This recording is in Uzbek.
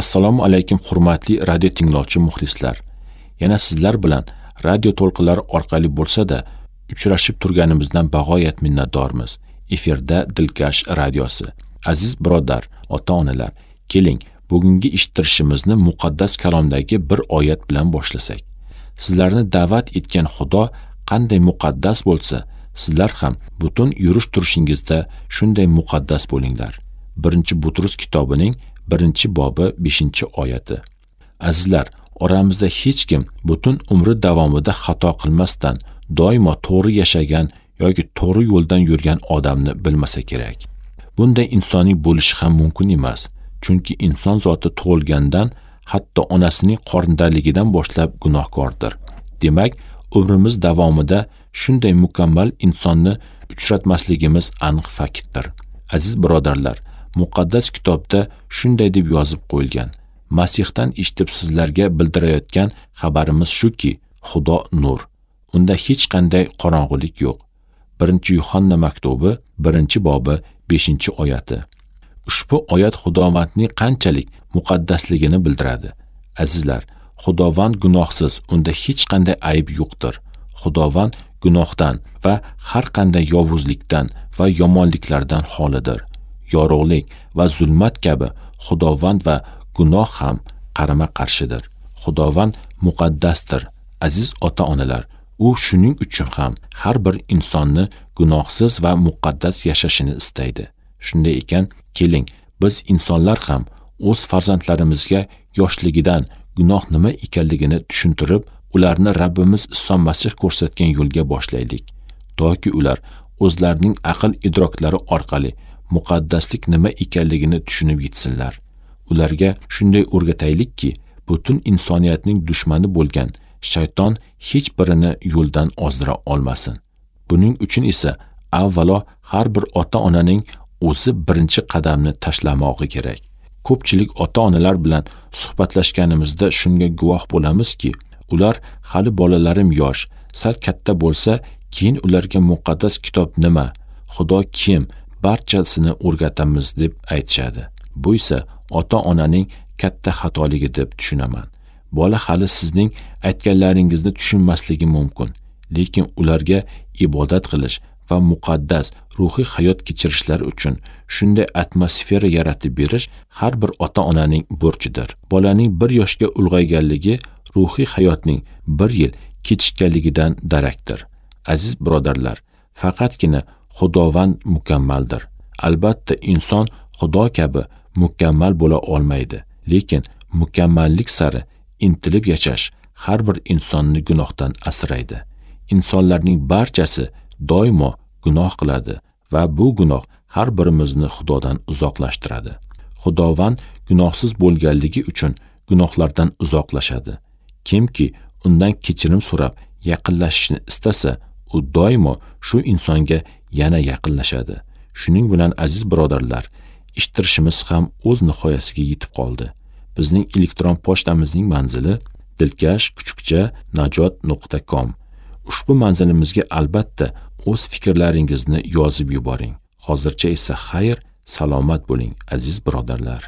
Assalomu alaykum hurmatli radio tinglovchi muxlislar. Yana sizlar bilan radio to'lqinlari orqali bo'lsa-da uchrashib turganimizdan bag'oyat minnatdormiz. Efirda Dilkash radiosi. Aziz birodar, ota-onalar, keling, bugungi eshittirishimizni muqaddas kalomdagi bir oyat bilan boshlasak. Sizlarni da'vat etgan Xudo qanday muqaddas bo'lsa, sizlar ham butun yurish turishingizda shunday muqaddas bo'linglar. 1-Butrus kitobining 1-bobi 5-oyati. Azizlar, oramizda hech kim butun umri davomida xato qilmasdan doimo to'g'ri yashagan yoki to'g'ri yo'ldan yurgan odamni bilmasa kerak. Bunday insonning bo'lishi ham mumkin emas, chunki inson zoti tug'ilgandan, hatto onasining qornidaligidan boshlab gunohkordir. Demak, umrimiz davomida shunday mukammal insonni uchratmasligimiz aniq faktdir. Aziz birodarlar, muqaddas kitobda shunday deb yozib qo'yilgan: Masihdan eshitib sizlarga bildirayotgan xabarimiz shuki, Xudo nur. Unda hech qanday qorong'ulik yo'q. 1-Yuhanna maktubi 1-bobi 5-oyati. Ushbu oyat Xudovandning qanchalik muqaddasligini bildiradi. Azizlar, Xudovand gunohsiz, unda hech qanday ayb yo'qdir. Xudovand gunohdan va har qanday yovuzlikdan va yomonliklardan xolidir. Yorug'lik va zulmat kabi Xudovand va gunoh ham qarama-qarshidir. Xudovand muqaddasdir. Aziz ota-onalar, u shuning uchun ham har bir insonni gunohsiz va muqaddas yashashini istaydi. Shunday ekan, keling, biz insonlar ham o'z farzandlarimizga yoshligidan gunoh nima ekanligini tushuntirib, ularni Rabbimiz Iso Masih ko'rsatgan yo'lga boshlaylik, toki ular o'zlarining aql idroklari orqali muqaddaslik nima ekanligini tushunib yetsinlar. Ularga shunday o'rgataylikki, butun insoniyatning dushmani bo'lgan shayton hech birini yo'ldan ozdira olmasin. Buning uchun esa avvalo har bir ota-onaning o'zi birinchi qadamni tashlamog'i kerak. Ko'pchilik ota-onalar bilan suhbatlashganimizda shunga guvoh bo'lamizki, ular hali bolalarim yosh, sal katta bo'lsa, keyin ularga muqaddas kitob nima, Xudo kim, barchasini o'rgatamiz deb aytishadi. Bu esa ota-onaning katta xatoligi deb tushunaman. Bola hali sizning aytganlaringizni tushunmasligi mumkin, lekin ularga ibodat qilish va muqaddas ruhiy hayot kechirishlari uchun shunday atmosfera yaratib berish har bir ota-onaning burchidir. Bolaning 1 yoshga ulg'ayganligi ruhiy hayotning 1 yil kechikkanligidan darakdir. Aziz birodarlar, faqatgina Xudovand mukammaldir. Albatta, inson Xudo kabi mukammal bo'la olmaydi, lekin mukammallik sari intilib yashash har bir insonni gunohdan asraydi. Insonlarning barchasi doimo gunoh qiladi va bu gunoh har birimizni Xudodan uzoqlashtiradi. Xudovand gunohsiz bo'lganligi uchun gunohlardan uzoqlashadi. Kimki undan kechirim so'rab yaqinlashishni istasa, u doimo shu insonga yana yaqinlashadi. Shuning bilan aziz birodarlar, eshittirishimiz ham o'z nihoyasiga yetib qoldi. Bizning elektron pochtamizning manzili dilkash@najot.com. Ushbu manzilimizga albatta o'z fikrlaringizni yozib yuboring. Hozircha esa xayr, salomat bo'ling aziz birodarlar.